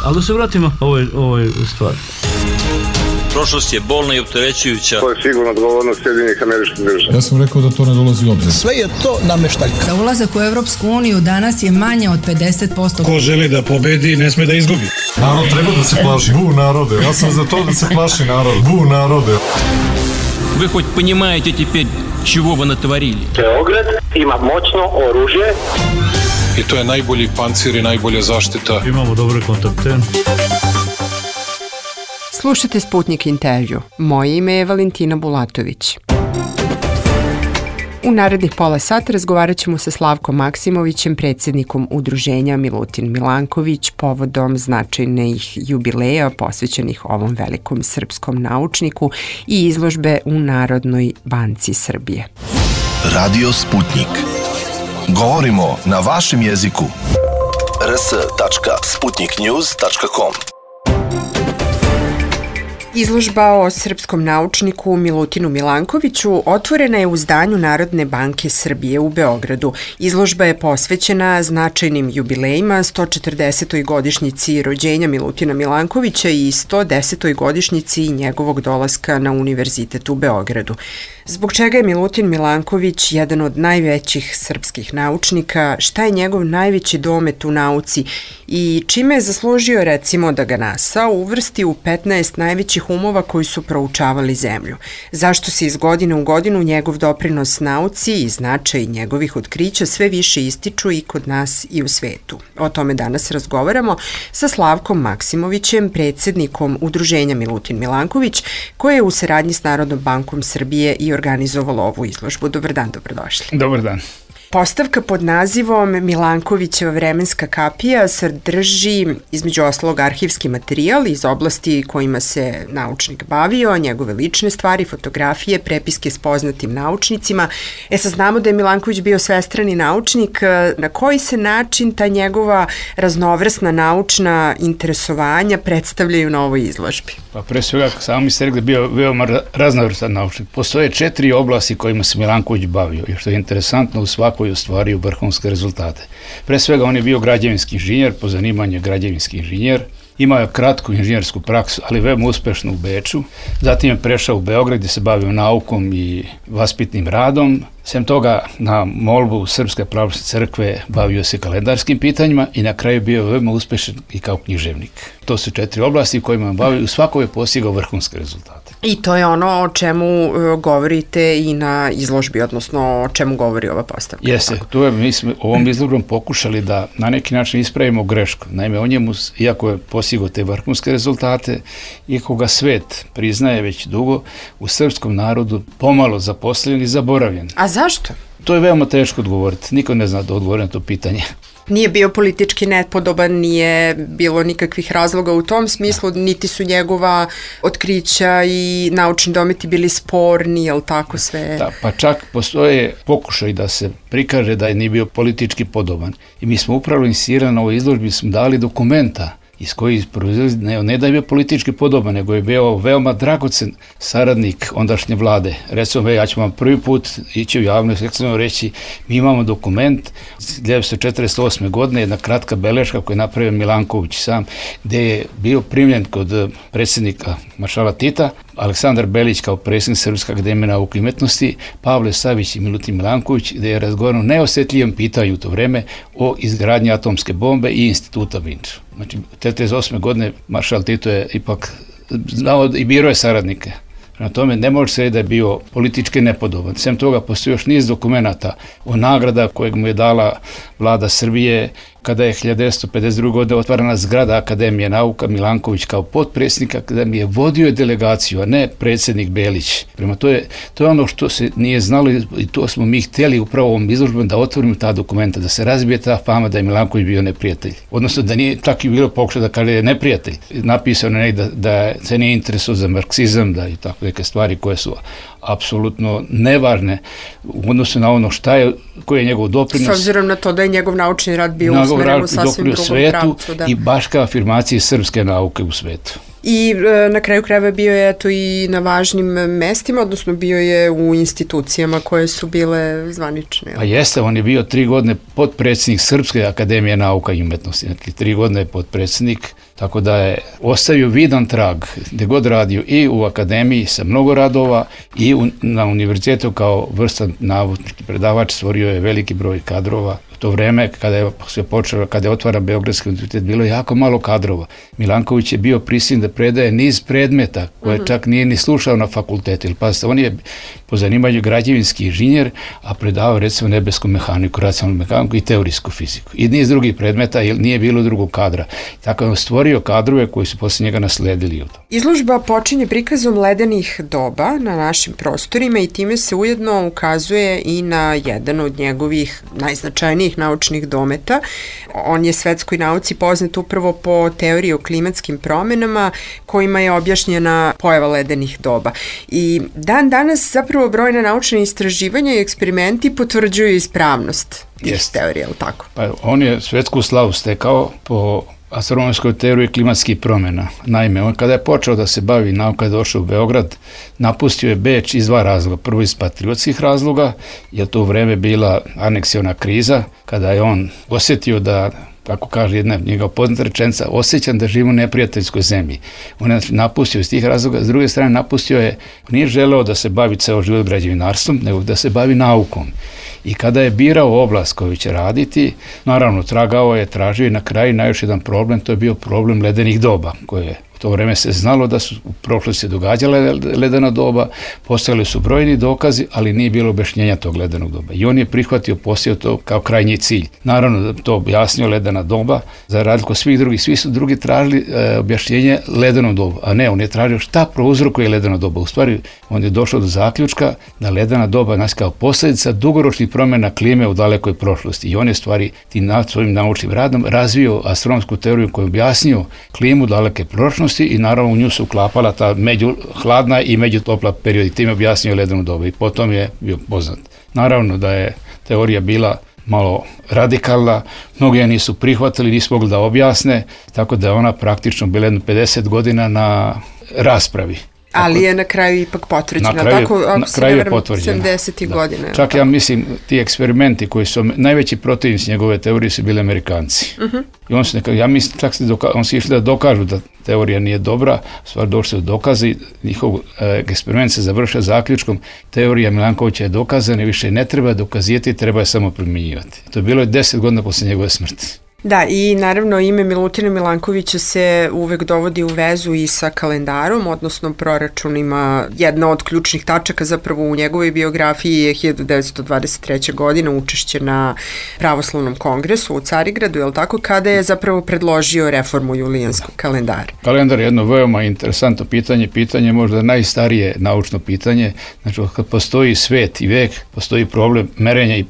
Ali da se vratimo ovoj stvari. Prošlost je bolna i opterećujuća. To je sigurno odgovornost Sjedinjenih Američkih Država. Ja sam rekao da to ne dolazi u obzir. Sve je to nameštaljka. Da ulazak u Evropsku uniju danas je manje od 50%. Ko želi da pobedi, ne sme da izgubi. Narod treba da se plaši. Bu narode. Ja sam za to da se plaši narod. Bu narode. Вы хоть понимаете теперь, чего вы натворили? Beograd ima moćno oružje. I to je najbolji pancir i najbolja zaštita. Imamo dobre kontakte. Slušajte Sputnik intervju. Moje ime je Valentina Bulatović. U narednih pola sata razgovarat ćemo sa Slavkom Maksimovićem, predsjednikom udruženja Milutin Milanković, povodom značajnih jubileja posvećenih ovom velikom srpskom naučniku i izložbe u Narodnoj banci Srbije. Radio Sputnik. Govorimo na vašem jeziku. rs.sputniknews.com. Izložba o srpskom naučniku Milutinu Milankoviću otvorena je u zdanju Narodne banke Srbije u Beogradu. Izložba je posvećena značajnim jubilejima, 140. godišnjici rođenja Milutina Milankovića i 110. godišnjici njegovog dolaska na Univerzitet u Beogradu. Zbog čega je Milutin Milanković jedan od najvećih srpskih naučnika, šta je njegov najveći domet u nauci i čime je zaslužio, recimo, da ga NASA uvrsti u 15 najvećih umova koji su proučavali zemlju? Zašto se iz godine u godinu njegov doprinos nauci i značaj njegovih otkrića sve više ističu i kod nas i u svetu? O tome danas razgovaramo sa Slavkom Maksimovićem, predsjednikom udruženja Milutin Milanković, koje je u saradnji s Narodnom bankom Srbije i organizovalo ovu izložbu. Dobar dan, dobrodošli. Dobar dan. Postavka pod nazivom Milankovićeva vremenska kapija sadrži između ostalog arhivski materijal iz oblasti kojima se naučnik bavio, njegove lične stvari, fotografije, prepiske s poznatim naučnicima. Sad znamo da je Milanković bio svestrani naučnik. Na koji se način ta njegova raznovrsna naučna interesovanja predstavljaju na ovoj izložbi? Pa pre svega, samo mi ste rekli da bio veoma raznovrstan naučnik. Postoje 4 oblasti kojima se Milanković bavio i što je interesantno, u svakoj ostvario vrhunske rezultate. Pre svega on je bio građevinski inženjer, po zanimanju građevinski inženjer, imao je kratku inženjersku praksu, ali veoma uspešnu u Beču. Zatim je prešao u Beograd gdje se bavio naukom i vaspitnim radom. Sem toga, na molbu Srpske pravoslavne crkve bavio se kalendarskim pitanjima i na kraju bio veoma uspešan i kao književnik. To su 4 oblasti u kojima bavio, u svakoj je postigao vrhunske rezultate. I to je ono o čemu govorite i na izložbi, odnosno o čemu govori ova postavka. Jeste, mi smo ovom izložbom pokušali da na neki način ispravimo grešku. Naime, o njemu, iako je postigao te vrhunske rezultate, iako ga svet priznaje već dugo, u srpskom narodu pomalo zaposljen i zaboravljen. A zašto? To je veoma teško odgovoriti. Niko ne zna da odgovori na to pitanje. Nije bio politički nepodoban, nije bilo nikakvih razloga u tom smislu, niti su njegova otkrića i naučni dometi bili sporni, jel tako sve? Da, pa čak postoje pokušaj da se prikaže da je nije bio politički podoban. I mi smo upravo insistirali na ovoj izložbi, smo dali dokumenta iz kojih proizlazi, ne da je bio politički podoban, nego je bio veoma dragocen saradnik ondašnje vlade. Recimo, ja ću vam prvi put ići u javnost reći, mi imamo dokument 1948. godine, jedna kratka beleška koju je napravio Milanković sam, gde je bio primljen kod predsjednika maršala Tita, Aleksandar Belić kao predsjednik Srpske akademije nauke i umetnosti, Pavle Savić i Milutin Milanković, gde je razgovarano neosjetljivom pitanju u to vreme o izgradnji atomske bombe i instituta Vinča. Znači, 1948. godine maršal Tito je ipak znao i birao je saradnike. Na tome ne može se reći da je bio politički nepodoban. Sem toga postoji još niz dokumenata o nagrada kojeg mu je dala vlada Srbije kada je 1952. godine otvarana zgrada Akademije nauka. Milanković kao potpredsjednik akademije vodio je delegaciju, a ne predsjednik Belić. Prema to je ono što se nije znalo i to smo mi htjeli upravo ovom izložbom da otvorimo ta dokumenta, da se razbije ta fama da je Milanković bio neprijatelj. Odnosno da nije tako i bilo pokušao da kaže je neprijatelj. Napisano je da se nije interesuo za marksizam, da i tako neke stvari koje su apsolutno nevažne u odnosu na ono koji je njegov doprinos. S obzirom na to da je njegov naučni rad bio usmeren u sasvim drugom pravcu. I baš kao afirmacije srpske nauke u svetu. I na kraju krajeva bio je eto i na važnim mestima, odnosno bio je u institucijama koje su bile zvanične. Pa jeste, on je bio 3 godine potpredsjednik Srpske akademije nauka i umetnosti, znači 3 godine je potpredsjednik, tako da je ostavio vidan trag gdje god radio i u akademiji sa mnogo radova i na univerzitetu kao vrstan naučnik predavač, stvorio je veliki broj kadrova. U to vreme kada je otvaran Beogradski univerzitet bilo je jako malo kadrova. Milanković je bio prisiljen da predaje niz predmeta koje čak nije ni slušao na fakultetu. Ili pazite, on je po zanimanju građevinski inženjer, a predavao recimo nebesku mehaniku, racionalnu mehaniku i teorijsku fiziku. I niz drugih predmeta jer nije bilo drugog kadra. Tako je on stvorio kadrove koji su poslije njega nasledili. Izložba počinje prikazom ledenih doba na našim prostorima i time se ujedno ukazuje i na jedan od njegovih najznačajnijih naučnih dometa. On je svetskoj nauci poznat upravo po teoriji o klimatskim promenama kojima je objašnjena pojava ledenih doba. I dan danas zapravo brojne naučne istraživanja i eksperimenti potvrđuju ispravnost tih teorija, ali tako? Pa on je svetsku slavu stekao po astronomskoj teoriji klimatskih promjena. Naime, on kada je počeo da se bavi nauka, je došao u Beograd, napustio je Beč iz 2 razloga. Prvo iz patriotskih razloga, jer to u vreme bila aneksiona kriza, kada je on osjetio da, kako kaže jedna njegova poznata rečenica, osjećam da živim u neprijateljskoj zemlji. On je napustio iz tih razloga, s druge strane napustio je, nije želeo da se bavi ceo život građevinarstvom, nego da se bavi naukom. I kada je birao oblast koju će raditi, naravno tragao je, tražio i na kraju najviše jedan problem, to je bio problem ledenih doba, koje u to vreme se znalo da su u prošlosti događale ledena doba, postojali su brojni dokazi, ali nije bilo objašnjenja tog ledenog doba. I on je prihvatio, posio to kao krajnji cilj. Naravno da to objasnio ledena doba, za razliku svih drugih, svi su drugi tražili objašnjenje ledenom dobu, a ne, on je tražio šta prouzrokuje ledena doba. U stvari, on je došao do zaključka da ledena doba nas kao posljedica dugoročnih promjena klime u dalekoj prošlosti. I on je stvari tim svojim naučnim radom razvio astronomsku teoriju koju objasnio klimu daleke prošlosti i naravno u nju se uklapala ta hladna i međutopla period i tim je objasnio ledenu dobu i potom je bio poznat. Naravno da je teorija bila malo radikalna, mnogi je nisu prihvatili, nisu mogli da objasne, tako da je ona praktično bila 50 godina na raspravi. Ali je na kraju ipak potvrđena. Na kraju je potvrđena. 70. godine. Čak ja mislim, ti eksperimenti koji su najveći protivnici njegove teorije su bili Amerikanci. I on su ja mislim, čak on su išli da dokažu da teorija nije dobra, stvar došli do dokazi, njihov eksperiment se završio zaključkom, teorija Milankovića je dokazana i više ne treba dokazivati, treba je samo primjenjivati. To je bilo 10 godina posle njegove smrti. Da, i naravno ime Milutina Milankovića se uvek dovodi u vezu i sa kalendarom, odnosno proračunima. Jedna od ključnih tačaka zapravo u njegovoj biografiji je 1923. godina učešće na Pravoslavnom kongresu u Carigradu, je li tako, kada je zapravo predložio reformu julijanskog kalendara. Kalendar je jedno veoma interesantno pitanje možda najstarije naučno pitanje. Znači, kad postoji svet i vek, postoji problem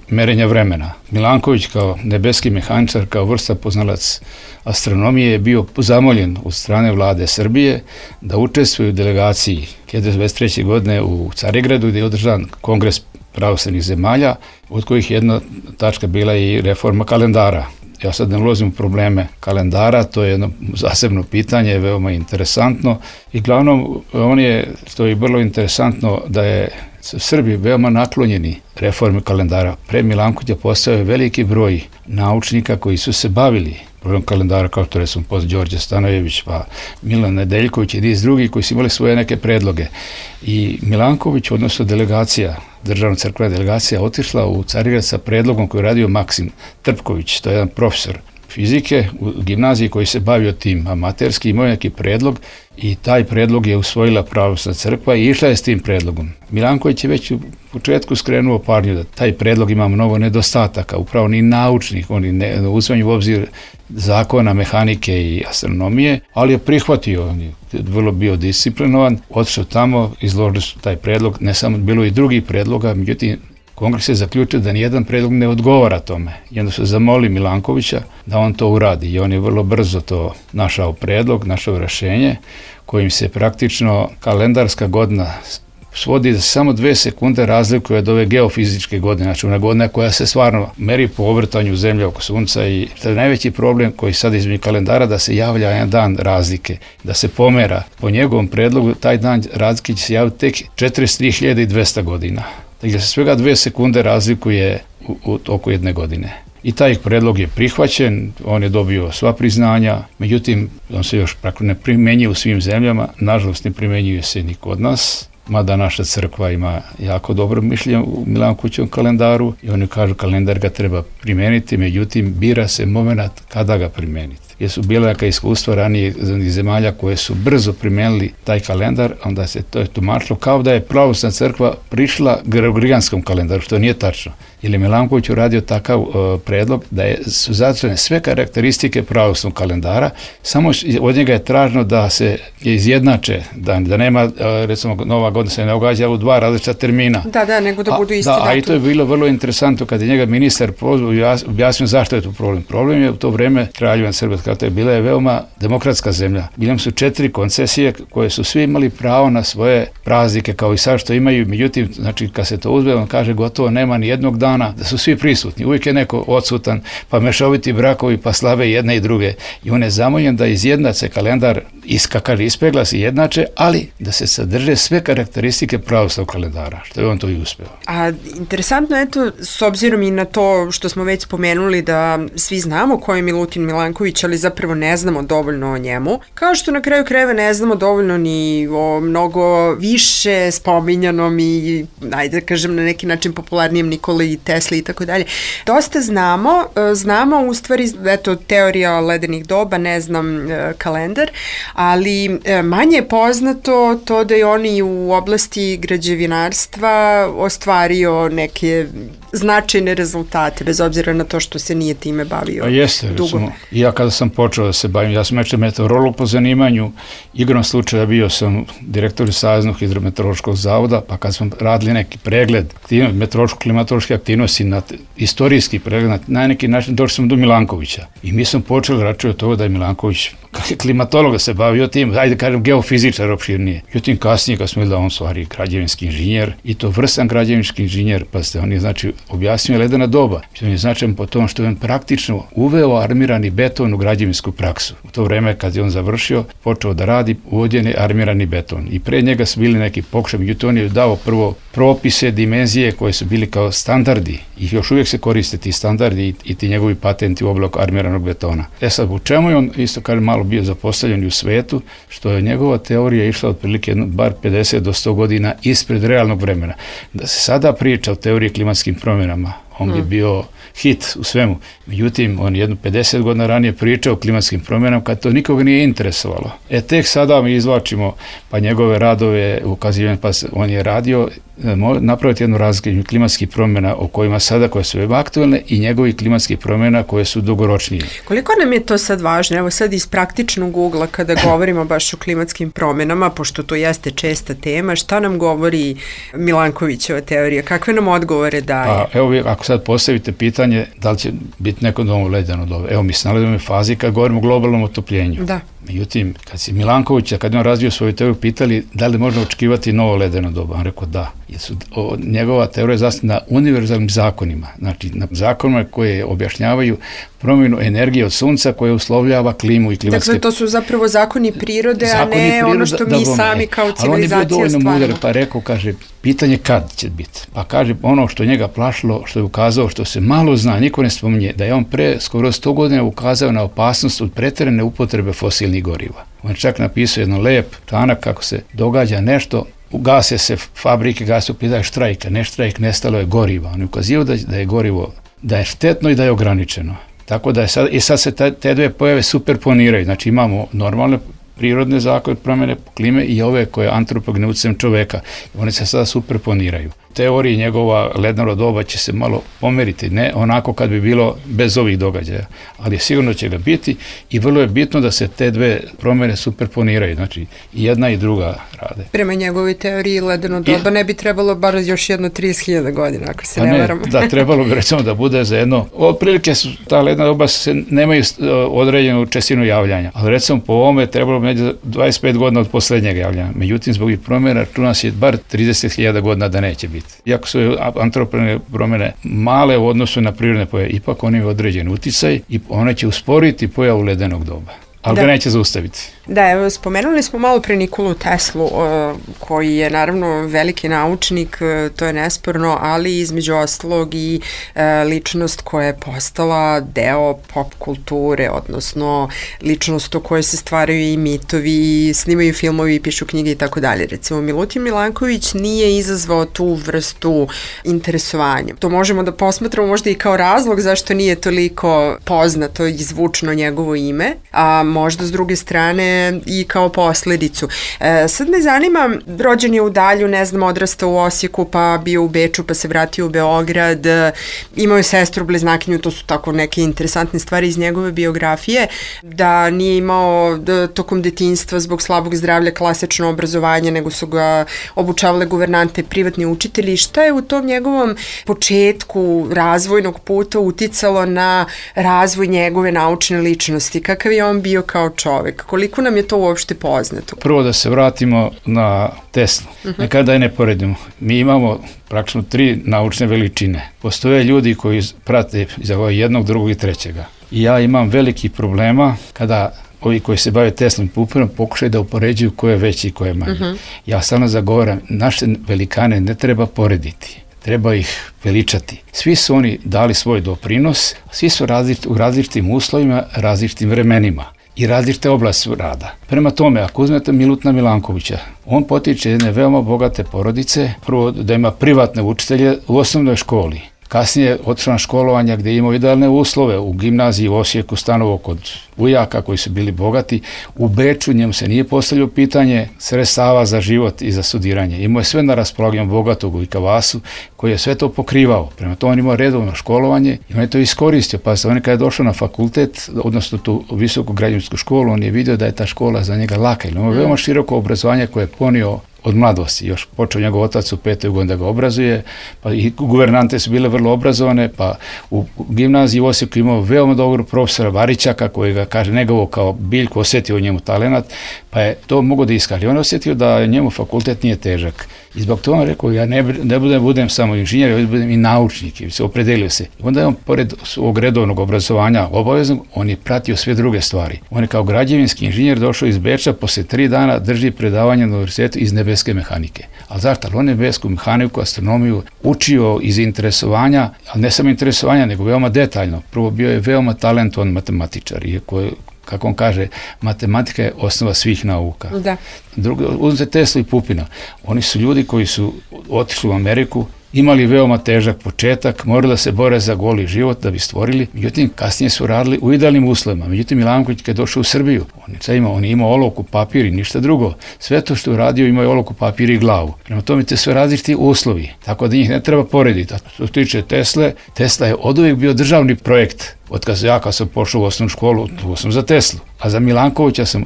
merenja vremena. Milanković kao nebeski mehaničar, kao vrsta poznalac astronomije je bio zamoljen od strane vlade Srbije da učestvuje u delegaciji 1923. godine u Carigradu gdje je održan kongres pravoslavnih zemalja, od kojih jedna tačka bila i reforma kalendara. Ja sad ne ulazim u probleme kalendara, to je jedno zasebno pitanje, veoma interesantno i glavnom to je vrlo interesantno da je Srbi veoma naklonjeni reformi kalendara. Pre Milankovića postao veliki broj naučnika koji su se bavili problemom kalendara, kao to recimo Đorđe Stanojević, pa Milan Nedeljković i niz drugih koji su imali svoje neke predloge. I Milanković, odnosno delegacija, državna crkvena delegacija, otišla u Carigrad sa predlogom koji je radio Maksim Trpković, to je jedan profesor fizike u gimnaziji koji se bavio tim amaterski, imao neki predlog i taj predlog je usvojila pravoslavna crkva i išla je s tim predlogom. Milanković je već u početku skrenuo pažnju da taj predlog ima mnogo nedostataka, upravo ni naučnih, oni ne uzimaju u obzir zakona mehanike i astronomije, ali je prihvatio, on je vrlo bio disciplinovan, otišao tamo, izložili su taj predlog, ne samo, bilo i drugih predloga, međutim, Kongres je zaključio da nijedan predlog ne odgovara tome. I onda se zamoli Milankovića da on to uradi i on je vrlo brzo to našao predlog, našao rješenje kojim se praktično kalendarska godina svodi da samo 2 sekunde razlikuje od ove geofizičke godine, znači ona godina koja se stvarno meri po obrtanju zemlje oko sunca i to je najveći problem koji sad između kalendara da se javlja jedan dan razlike, da se pomera. Po njegovom predlogu taj dan razlike će se javiti tek 43.200 godina. Dakle, se svega 2 sekunde razlikuje u toku jedne godine. I taj predlog je prihvaćen, on je dobio sva priznanja, međutim, on se još praktično ne primjenjuje u svim zemljama, nažalost ne primjenjuje se ni kod nas, mada naša crkva ima jako dobro mišljenje u Milankovićevom kalendaru i oni kažu kalendar ga treba primijeniti, međutim, bira se moment kada ga primijeniti. Jer su bila neka iskustva ranije zemalja koje su brzo primijenili taj kalendar, onda se to je tumačilo kao da je pravoslavna crkva prišla gregorijanskom kalendaru, što nije tačno. Jer je Milanković uradio takav predlog da su zadržane sve karakteristike pravoslavnog kalendara, samo od njega je traženo da se izjednače, da nema, recimo, Nova godina se ne događa u 2 različita termina. Da, nego da budu isti datum. A i to je bilo vrlo interesantno kad je njega ministar objasnio zašto je to problem. Problem je u to vreme Kraljevina Srbija, to je bila veoma demokratska zemlja. Bile su 4 koncesije koje su svi imali pravo na svoje praznike kao i sad što imaju, međutim, znači kad se to uzme, on kaže gotovo nema ni jednog dana da su svi prisutni. Uvijek je neko odsutan, pa mešoviti brakovi, pa slave jedne i druge. I on je zamoljen da izjednače kalendar, ispegla se jednače, ali da se sadrže sve karakteristike pravoslavnog kalendara, što je on to i uspeo. A interesantno je to, s obzirom i na to što smo već spomenuli da svi znamo ko je Milutin Milanković, ali zapravo ne znamo dovoljno o njemu, kao što na kraju krajeva ne znamo dovoljno ni o mnogo više spominjanom i, ajde da kažem, na neki način popularnijem Nikoli Tesli i tako dalje. Dosta znamo u stvari, eto, teorija ledenih doba, ne znam kalendar, ali manje je poznato to da je on i u oblasti građevinarstva ostvario neke značajne rezultate, bez obzira na to što se nije time bavio dugo. Recimo, ja kada sam počeo da se bavim, ja sam meteorolog po zanimanju, igrom slučaja bio sam direktor Saveznog hidrometeorološkog zavoda, pa kad smo radili neki pregled meteorološko-klimatološke aktivnosti, istorijski pregled, na neki način došli smo do Milankovića. I mi smo počeli računati od toga da je Milanković klimatolog se bavio tim, ajde kažem geofizičar opširnije. Međutim, kasnije kad smo vidjeli da on stvari građevinski inženjer i to vrstan građevinski inženjer, pa ste on je znači objasnio ledena doba. On je značajan po tom što je on praktično uveo armirani beton u građevinsku praksu. U to vreme kad je on završio, počeo da radi uvođen je armirani beton. I pre njega su bili neki pokušaj, međutim on je dao prvo propise, dimenzije koje su bili kao standardi i još uvijek se koriste ti standardi i ti njegovi patenti u oblaku armiranog betona. Sad, u čemu je on isto kažem malo bio zapostavljen u svetu, što je njegova teorija išla otprilike bar 50 do 100 godina ispred realnog vremena. Da se sada priča o teoriji klimatskim promjenama, on bi bio hit u svemu. Međutim, on jedno 50 godina ranije pričao o klimatskim promjenama kad to nikoga nije interesovalo. Tek sada mi izvlačimo pa njegove radove ukazivanje, pa on je radio napraviti jednu razliku klimatskih promjena o kojima sada koje su veoma aktualne i njegovih klimatskih promjena koje su dugoročnije. Koliko nam je to sad važno? Evo sad iz praktičnog ugla kada govorimo baš o klimatskim promjenama, pošto to jeste česta tema, šta nam govori Milankovićeva teorija? Kakve nam odgovore daje? Pa, evo ako sad postavite pitanje da li će biti neko novo ledeno doba. Evo mi se nalazimo u fazi kad govorimo o globalnom otopljenju. Da. Međutim, kad si Milankovića, kad je on razvio svoju teoriju, pitali da li možemo očekivati novo ledeno doba, on rekao da. Njegova teorija je zasnovana na univerzalnim zakonima, znači na zakonima koje objašnjavaju promjenu energije od sunca koje uslovljava klimu i klimatske... Dakle, to su zapravo zakoni prirode, a ne ono što mi sami kao civilizacija stvaramo. Ali on je bio dovoljno mudar, pa rekao, kaže, pitanje kad će biti. Pa kaže, ono što njega plašilo, što je ukazao, što se malo zna, niko ne spominje, da je on pre skoro 100 godina ukazao na opasnost od pretjerane upotrebe fosilnih goriva. On je čak napisao jedan lep članak kako se događa nešto, ugase se fabrike, gase upitaju štrajka, ne štrajk, nestalo je goriva. On je ukazio da je gorivo, da je štetno i da je ograničeno. Tako da je sad se te dve pojave superponiraju. Znači imamo normalne prirodne zakone promjene klime i ove koje antropogene utjecajem čoveka. One se sada superponiraju. teoriji njegova ledeno doba će se malo pomeriti, ne onako kad bi bilo bez ovih događaja, ali sigurno će ga biti i vrlo je bitno da se te dve promjene superponiraju, znači i jedna i druga rade. Prema njegovoj teoriji ledeno doba ne bi trebalo bar još jedno 30.000 godina, ako se ne varamo. Da, trebalo bi recimo da bude za jedno, otprilike ta ledena doba nemaju određenu čestinu javljanja, ali recimo po ovome trebalo bi 25 godina od posljednjeg javljanja. Međutim, zbog promjena računa se bar 30.000 godina da neće biti. Iako su antropogene promjene male u odnosu na prirodne pojave, ipak oni imaju određen uticaj i one će usporiti pojavu ledenog doba. Ali ga neće zaustaviti. Da, evo, spomenuli smo malo pre Nikolu Teslu, koji je naravno veliki naučnik, to je nesporno, ali između ostalog i ličnost koja je postala deo pop kulture, odnosno ličnost o kojoj se stvaraju i mitovi, i snimaju filmovi, i pišu knjige i tako dalje. Recimo, Milutin Milanković nije izazvao tu vrstu interesovanja. To možemo da posmatramo možda i kao razlog zašto nije toliko poznato i zvučno njegovo ime, a možda s druge strane i kao posledicu. Sad me zanima, rođen je u Dalju, ne znam, odrastao u Osijeku, pa bio u Beču, pa se vratio u Beograd, imao je sestru bliznakinju, to su tako neke interesantne stvari iz njegove biografije, da nije imao tokom detinjstva zbog slabog zdravlja klasično obrazovanje, nego su ga obučavale guvernante, privatni učitelji. Šta je u tom njegovom početku razvojnog puta uticalo na razvoj njegove naučne ličnosti? Kakav je on bio kao čovek? Koliko nam je to uopšte poznato? Prvo da se vratimo na Teslu. Nekada je ne poredimo. Mi imamo praktično 3 naučne veličine. Postoje ljudi koji prate za jednog, drugog i trećega. I ja imam velikih problema kada ovi koji se bave Teslom i Pupinom pokušaju da upoređuju ko je veći i ko je manji. Ja stalno zagovaram, naše velikane ne treba porediti. Treba ih veličati. Svi su oni dali svoj doprinos, svi su u različitim uslovima, različitim vremenima i različite oblasti rada. Prema tome, ako uzmete Milutina Milankovića, on potiče jedne veoma bogate porodice, prvo da ima privatne učitelje u osnovnoj školi. Kasnije otišao na školovanja gdje je imao idealne uslove, u gimnaziji u Osijeku stanovo kod ujaka koji su bili bogati. U Beču njemu se nije postavljalo pitanje sredstava za život i za studiranje. Imao je sve na raspolaganju bogatog u Ikavasu koji je sve to pokrivao. Prema tome on imao redovno školovanje i on je to iskoristio. Pa on kada je došao na fakultet, odnosno tu visoku građevinsku školu, on je vidio da je ta škola za njega laka. Ili imao veoma široko obrazovanje koje je ponio od mladosti. Još počeo njegov otac u 5. godini da ga obrazuje, pa i guvernante su bile vrlo obrazovane, pa u gimnaziji u Osijeku imao veoma dobro profesora Varićaka koji ga, kaže, negovo kao biljku, osjetio u njemu talenat, pa je to mogao da iskaže. On je osjetio da njemu fakultet nije težak. I zbog toga on rekao, ja ne budem samo inženjer, ja budem i naučnik, i se opredelio se. I onda je on, pored svog redovnog obrazovanja obaveznog, on je pratio sve druge stvari. On je kao građevinski inženjer došao iz Beča, posle 3 dana drži predavanje na univerzitetu iz nebeske mehanike. Ali zašto? On je nebesku mehaniku, astronomiju učio iz interesovanja, ali ne samo interesovanja, nego veoma detaljno. Prvo bio je veoma talentovan matematičar, iako je, kako on kaže, matematika je osnova svih nauka. Da. Drugo, uzmite Teslu i Pupina. Oni su ljudi koji su otišli u Ameriku, imali veoma težak početak, morali da se bore za goli život da bi stvorili, međutim kasnije su radili u idealnim uslovima. Međutim, Milanković kad je došao u Srbiju, on je imao olovku, papir i ništa drugo. Sve to što je uradio imao je olovku, papir i glavu. Prema tome te sve različiti uslovi, tako da njih ne treba porediti. A što se tiče Tesle, Tesla je oduvijek bio državni projekt. Kad sam pošao u osnovnu školu, tu sam za Teslu. A za Milankovića sam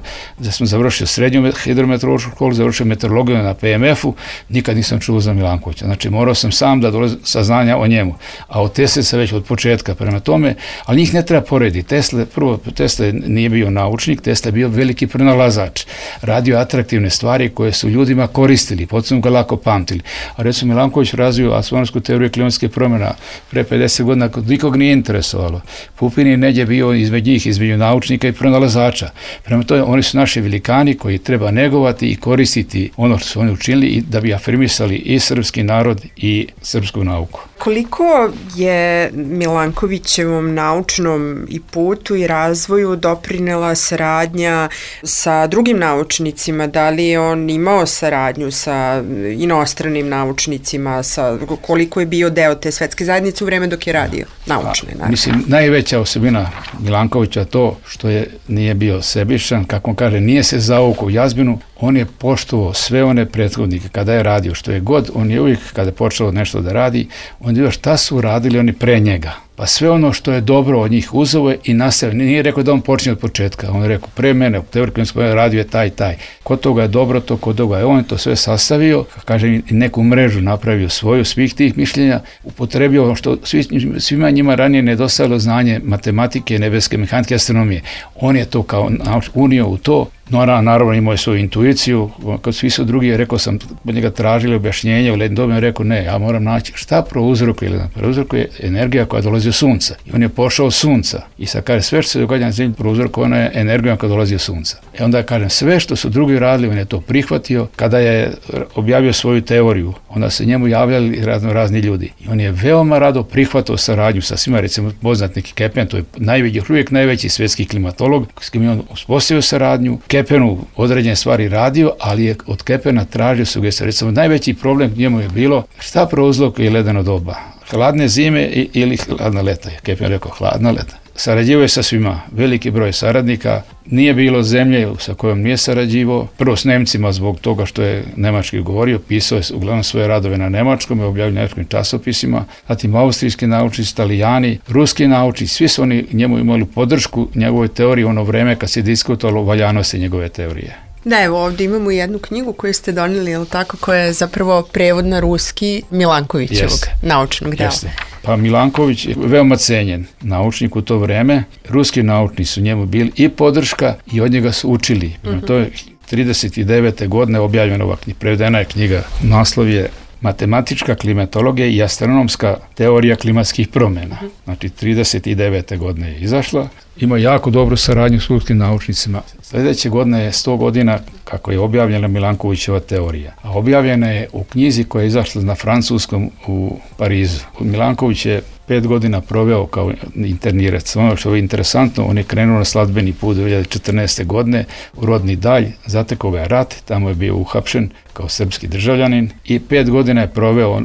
završio srednju hidrometeorološku školu, završio meteorologiju na PMF-u, nikad nisam čuo za Milankovića. Znači morao sam sam da dolazim saznanja o njemu. A o Tesli se već od početka prema tome, ali njih ne treba porediti. Tesla nije bio naučnik, Tesla je bio veliki pronalazač. Radio atraktivne stvari koje su ljudima koristili, potom ga lako pamtili. A recimo Milanković razvio astronomsku teoriju klimatskih promjena pre 50 godina, nikog nije interesovalo. Pupin je neđe bio između naučnika i pronalazača. Prema tome, oni su naši velikani koji treba negovati i koristiti ono što su oni učinili i da bi afirmisali i srpski narod i srpsku nauku. Koliko je Milankovićevom naučnom i putu i razvoju doprinela saradnja sa drugim naučnicima? Da li je on imao saradnju sa inostranim naučnicima? Koliko je bio deo te svetske zajednice u vreme dok je radio naučne? Mislim, najveća osobina Milankovića to što nije bio sebičan, kako on kaže, nije se zaukao u jazbinu, on je poštovao sve one prethodnike kada je radio, što je god, on je uvijek kada je počeo nešto da radi, on je vidio šta su radili oni pre njega. Pa sve ono što je dobro od njih uzeo je i nastavio. Nije rekao da on počinje od početka. On je rekao, pre mene, u teoriji radio je taj. Kod toga je dobro, to kod toga je on to sve sastavio, kaže, i neku mrežu napravio svoju svih tih mišljenja, upotrebio što svima njima ranije nedostajalo znanje matematike, nebeske mehanike, astronomije. On je to kao unio u to. Naravno imao je svoju intuiciju, kad svi su drugi, rekao sam, od njega tražili objašnjenje, u lednim dobima rekao ne, ja moram naći šta prouzrokuje. Prouzrokuje energija koja dolazi od sunca. I on je pošao od sunca. I sad kaže, sve što se događa na zemlji prouzrokovano je energijom koja dolazi od sunca. I onda kažem, sve što su drugi radili, on je to prihvatio. Kada je objavio svoju teoriju, onda se njemu javljali razni ljudi. I on je veoma rado prihvatao saradnju sa svima, recimo poznat neki Kepen, to je uvijek najveći svjetski klimatolog, s kim je on uspostavio saradnju. Kepenu određene stvari radio, ali je od Kepena tražio sugestije. Recimo, najveći problem njemu je bilo šta prouzrokuje ledeno doba. Hladne zime ili hladna leta. Kepen rekao hladna leta. Sarađivao je sa svima, veliki broj saradnika, nije bilo zemlje sa kojom nije sarađivao, prvo s Nemcima zbog toga što je nemački govorio, pisao je uglavnom svoje radove na nemačkom, je objavio nemačkim časopisima, zatim austrijski naučnici, Italijani, ruski naučnici, svi su oni njemu imali podršku njegove teorije u ono vreme kad se diskutovalo o valjanosti njegove teorije. Da, evo ovdje imamo jednu knjigu koju ste donijeli, ili tako, koja je zapravo prevod na ruski Milankovićevog naučnog dela. Pa Milanković je veoma cenjen naučnik u to vreme. Ruski naučnici su njemu bili i podrška i od njega su učili. To je 39. godine objavljena ova knjiga, prevedena je knjiga. Naslov je Matematička klimatologija i astronomska teorija klimatskih promjena. Znači 39. godine je izašla. Ima jako dobru saradnju s ruskim naučnicima. Sljedeće godine je 100 godina kako je objavljena Milankovićeva teorija. A objavljena je u knjizi koja je izašla na francuskom u Parizu. Milanković je 5 godina proveo kao internirac. Ono što je interesantno, on je krenuo na sladbeni put 2014. godine u rodni Dalj, zatekao ga je rat, tamo je bio uhapšen kao srpski državljanin i 5 godina je proveo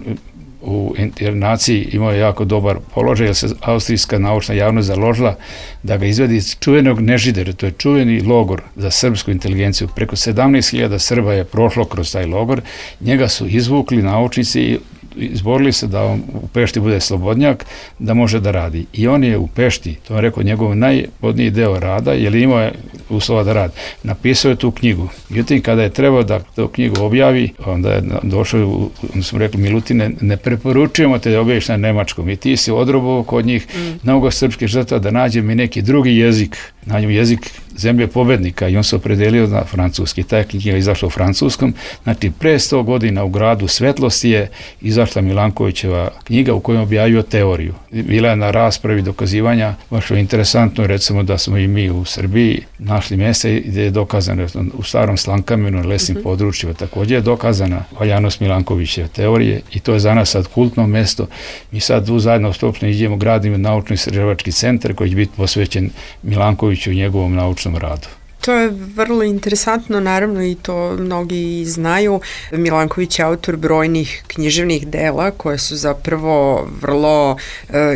u internaciji, imao je jako dobar položaj, jer se austrijska naučna javnost založila da ga izvedi iz čuvenog Nežidera, to je čuveni logor za srpsku inteligenciju. Preko 17.000 Srba je prošlo kroz taj logor, njega su izvukli naučnici i izborili se da on u Pešti bude slobodnjak, da može da radi. I on je u Pešti, to je rekao njegov najpodniji deo rada, jer imao je uslova da radi. Napisao je tu knjigu. Međutim, kada je trebao da tu knjigu objavi, onda je došao, onda smo rekli, Milutine, ne preporučujemo te da objaviš na nemačkom. I ti si odrobao kod njih mnogo srpskih žrtva da nađem i neki drugi jezik, nađem jezik zemlje pobednika, i on se opredelio na francuski. Ta knjiga je izašla u francuskom. Znači, pre 100 godina u gradu Svetlosti je izašla Milankovićeva knjiga u kojoj objavio teoriju. Bila je na raspravi dokazivanja, baš je interesantno, recimo da smo i mi u Srbiji našli mjesta gdje je dokazano u Starom Slankamenu, na lesnim područjima, također je dokazana valjanost Milankovićeve teorije i to je za nas sad kultno mjesto. Mi sad zajedno stopno idemo, gradimo naučno-istraživački centar koji će biti posvećen Milankoviću i njegovom naučnom radu. To je vrlo interesantno, naravno, i to mnogi znaju. Milanković je autor brojnih književnih dela koje su zapravo vrlo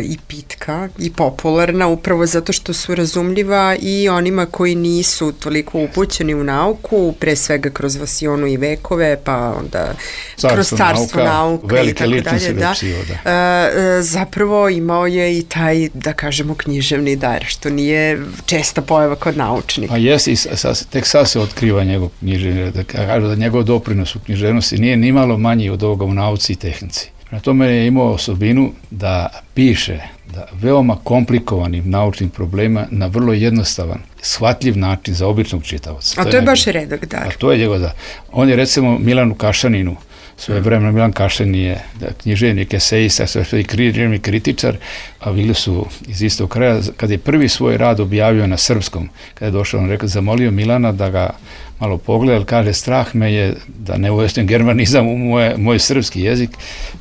i pitka i popularna, upravo zato što su razumljiva i onima koji nisu toliko upućeni u nauku, pre svega kroz Vasionu i vekove, pa onda kroz carstvo nauka i tako dalje. Zapravo imao je i taj, da kažemo, književni dar, što nije česta pojava kod naučnika. A jesi, tek sad se otkriva njegov književni, da kažu da njegov doprinos u književnosti nije ni malo manji od ovoga u nauci i tehnici. Na tome je imao osobinu da piše da veoma komplikovanim naučnim problema na vrlo jednostavan, shvatljiv način za običnog čitaoca. A to je baš redak dar. A to je njegov dar. On je recimo Milanu Kašaninu Svoje vremena Milan Kašen je književnik, esejista, sve književni kritičar, a bili su iz istog kraja. Kad je prvi svoj rad objavio na srpskom, kada je došao, on rekao, zamolio Milana da ga malo pogleda, ali kaže, strah me je da ne uvestim germanizam u moj srpski jezik.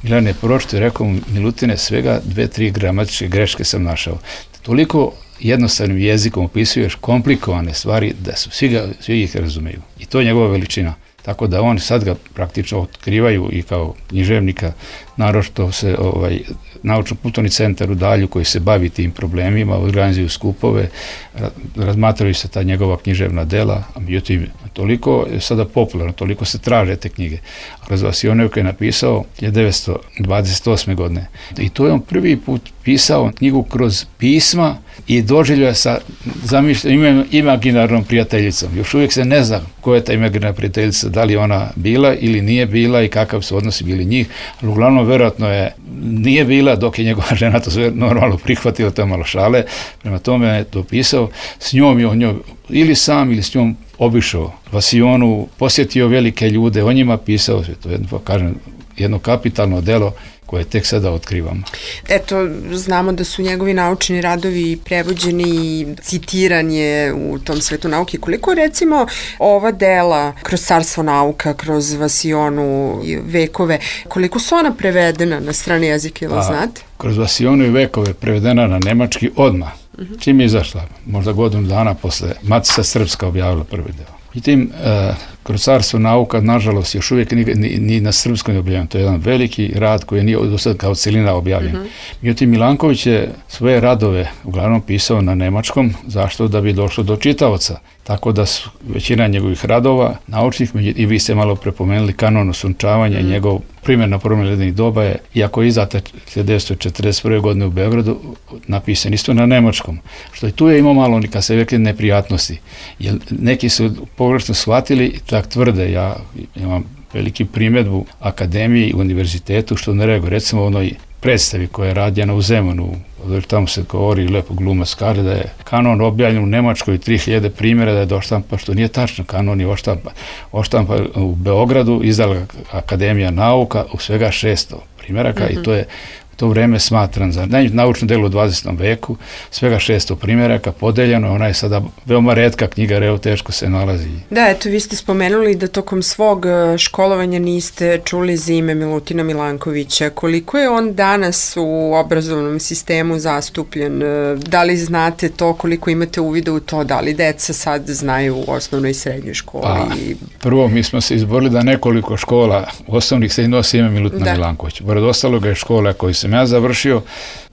Milan je pročito i rekao, Milutine, svega 2-3 gramatičke greške sam našao. Toliko jednostavnim jezikom opisuješ komplikovane stvari da su svi ih razumeju. I to je njegova veličina. Tako da oni sad ga praktično otkrivaju i kao književnika, naročito se Naučno-kulturni centar u Dalju koji se bavi tim problemima, organizuju skupove, razmatraju se ta njegova književna dela, a međutim, toliko je sada popularno, toliko se traže te knjige. Kroz Vasionevku je napisao 1928. godine. I to je on prvi put pisao knjigu kroz pisma i doživlja sa imaginarnom prijateljicom. Još uvijek se ne zna ko je ta imaginarna prijateljica, da li ona bila ili nije bila i kakav su odnosi bili njih, ali uglavnom verovatno nije bila, dok je njegova žena to sve normalno prihvatila, to je malo šale, prema tome je to pisao, s njom je on njoj ili sam ili s njom obišao Vasionu, posjetio velike ljude, o njima pisao, to je jedno kapitalno delo koje tek sada otkrivamo. Eto, znamo da su njegovi naučni radovi prevođeni i citiran je u tom svetu nauke. Koliko recimo ova dela kroz Carstvo nauka, kroz Vasionu i Vekove, koliko su ona prevedena na strane jezike, ili znate? Kroz Vasionu i Vekove prevedena na nemački odmah. Čim je izašla? Možda godinu dana posle Matica Srpska objavila prvi deo. I tim, kroz Carstvo nauka, nažalost, još uvijek ni na srpskom je objavljen. To je jedan veliki rad koji nije do sada kao celina objavljen. Međutim, Milanković je svoje radove uglavnom pisao na nemačkom, zašto? Da bi došlo do čitaoca. Tako da su većina njegovih radova naučnih, i vi ste malo prepomenuli kanon osunčavanja, njegov primjer na promjeni ledenih doba je, iako je izdata 1941. godine u Beogradu, napisan isto na nemačkom. Što i tu je imao malo, kad se rekli, neprijatnosti. Jer neki su pogrešno shvatili i tak tvrde. Ja imam veliki primjedbu akademiji i univerzitetu, što ne reaguju. Recimo u onoj predstavi koja je radjena u Zemunu, tamo se govori, lepo glumac kaže da je kanon objavljen u Nemačkoj 3000 primjera da je doštampa, što nije tačno. Kanon je oštampa u Beogradu, izdala Akademija nauka u svega 600 primjeraka i to je u to vreme smatran za naučno delo u 20. veku, svega 600 primjeraka podeljeno, ona je sada veoma retka knjiga, evo teško se nalazi. Da, eto, vi ste spomenuli da tokom svog školovanja niste čuli za ime Milutina Milankovića. Koliko je on danas u obrazovnom sistemu zastupljen? Da li znate to, koliko imate uvida u to, da li deca sad znaju u osnovnoj i srednjoj školi? Prvo, mi smo se izborili da nekoliko škola osnovnih se nosi ime Milutina Milankovića. Pored ostaloga je škola koju sam ja završio,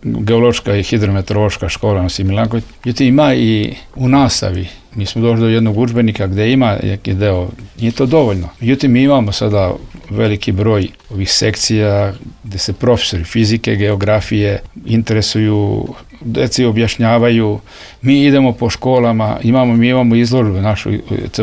geološka i hidrometeorološka škola nosi Milanković. Međutim, ima i u nastavi. Mi smo došli do jednog udžbenika gde ima neki deo, nije to dovoljno. Međutim, mi imamo sada veliki broj ovih sekcija gde se profesori fizike, geografije interesuju, deci objašnjavaju, mi idemo po školama, mi imamo izložbe, našu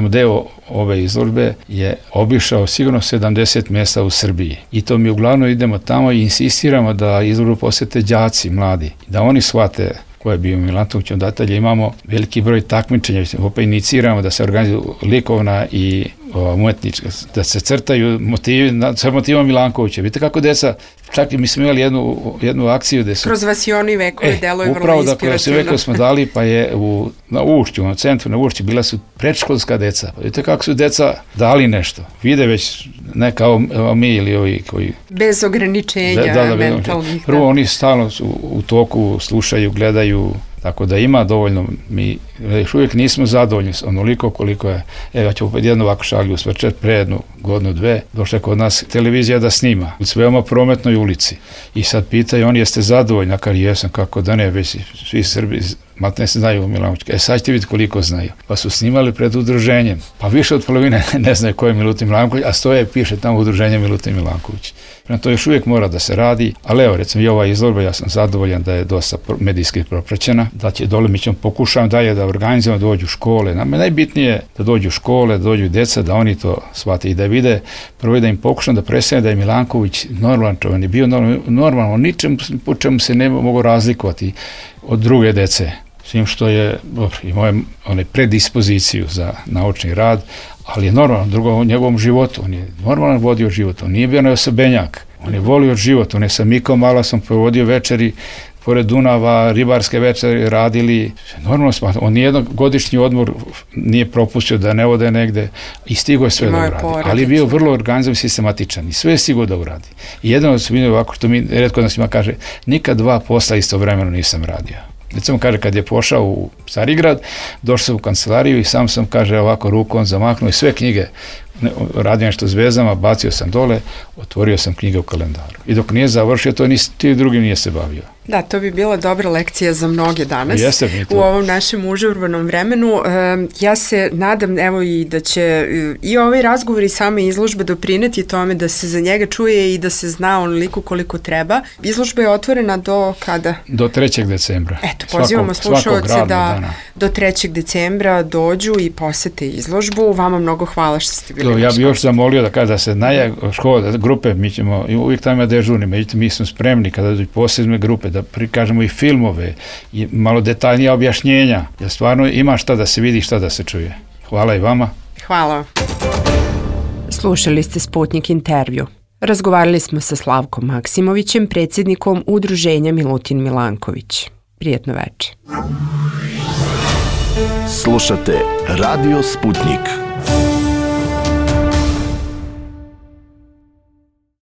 deo ove izložbe je obišao sigurno 70 mjesta u Srbiji. I to mi uglavnom idemo tamo i insistiramo da izložbu posjete đaci mladi, da oni shvate ko je bio Milanković, odatelje imamo veliki broj takmičenja, opet iniciramo da se organizuju likovna i umetnička, da se crtaju motivi, sa motivom Milankovića. Vidite kako deca, čak i mi smo imali jednu akciju gde su... Kroz Vasionu i Vekove delo je vrlo upravo inspirativno. Upravo da Vekove smo dali, pa je na Ušću, na centru na Ušću, bila su predškolska deca. Pa vidite kako su deca dali nešto. Vide već ne kao mi ili ovi koji... Bez ograničenja mentalnih. Prvo, oni stalno su u toku, slušaju, gledaju, tako da ima dovoljno. Mi još uvijek nismo zadovoljni onoliko koliko je. Ja ću opet jednu ovako šalju usvrčet, pre jednu godinu, dve, došla kod nas televizija da snima u veoma prometnoj ulici. I sad pitaju oni, jeste zadovoljni? Akar jesam, kako da ne, već svi Srbi matne se znaju u Milankoviću. Sad ćete vidjeti koliko znaju. Pa su snimali pred udruženjem. Pa više od polovine ne znaju ko je Milutin Milanković, a stoje piše tamo udruženje Milutin Milanković. To još uvijek mora da se radi, ali evo, recimo i ova izložba, ja sam zadovoljan da je dosta medijski propraćena, da će dole, mi ćemo pokušati dalje da organizujemo, da dođu škole. Nama je najbitnije da dođu škole, da dođu deca, da oni to shvate i da vide, prvo da im pokušam da predstavim da je Milanković normalan čovjek, je bio normalno, ničem po čemu se ne mogu razlikovati od druge dece. Svim što je, dobro, imao je predispoziciju za naučni rad, ali je normalno, drugo u njegovom životu, on je normalno vodio život, on nije bio neosobenjak, on je volio život, on je sa Mikom Malasom provodio večeri pored Dunava, ribarske večeri radili, normalno smatram, on nijedan godišnji odmor nije propustio da ne ode negde i stigo je sve da uradi, ali je bio vrlo organizovan i sistematičan i sve je stigo da uradi. I jedan od osobina ovako što mi retko nas ima kaže, nikad 2 posla istovremeno nisam radio. Recimo kaže kad je pošao u Carigrad, došao sam u kancelariju i sam kaže ovako rukom zamaknuo i sve knjige, radio nešto s vezama, bacio sam dole, otvorio sam knjige u kalendaru. I dok nije završio, to ti drugim nije se bavio. Da, to bi bila dobra lekcija za mnoge danas u ovom našem užurbanom vremenu. Ja se nadam, evo i da će i ovaj razgovor i same izložbe doprineti tome da se za njega čuje i da se zna onoliko koliko treba. Izložba je otvorena do kada? Do 3. decembra. Eto, pozivamo slušalce da do 3. decembra dođu i posete izložbu. Vama mnogo hvala što ste bili. Ja bih još zamolio da kaže da se škola, grupe, mi ćemo, uvijek tamo ima dežurni, međutim mi smo spremni kada dođu posebne grupe da prikažemo i filmove i malo detaljnija objašnjenja, jer stvarno ima šta da se vidi, šta da se čuje. Hvala i vama. Hvala. Slušali ste Sputnik intervju. Razgovarali smo sa Slavkom Maksimovićem, predsjednikom Udruženja Milutin Milanković. Prijetno večer. Slušate Radio Sputnik.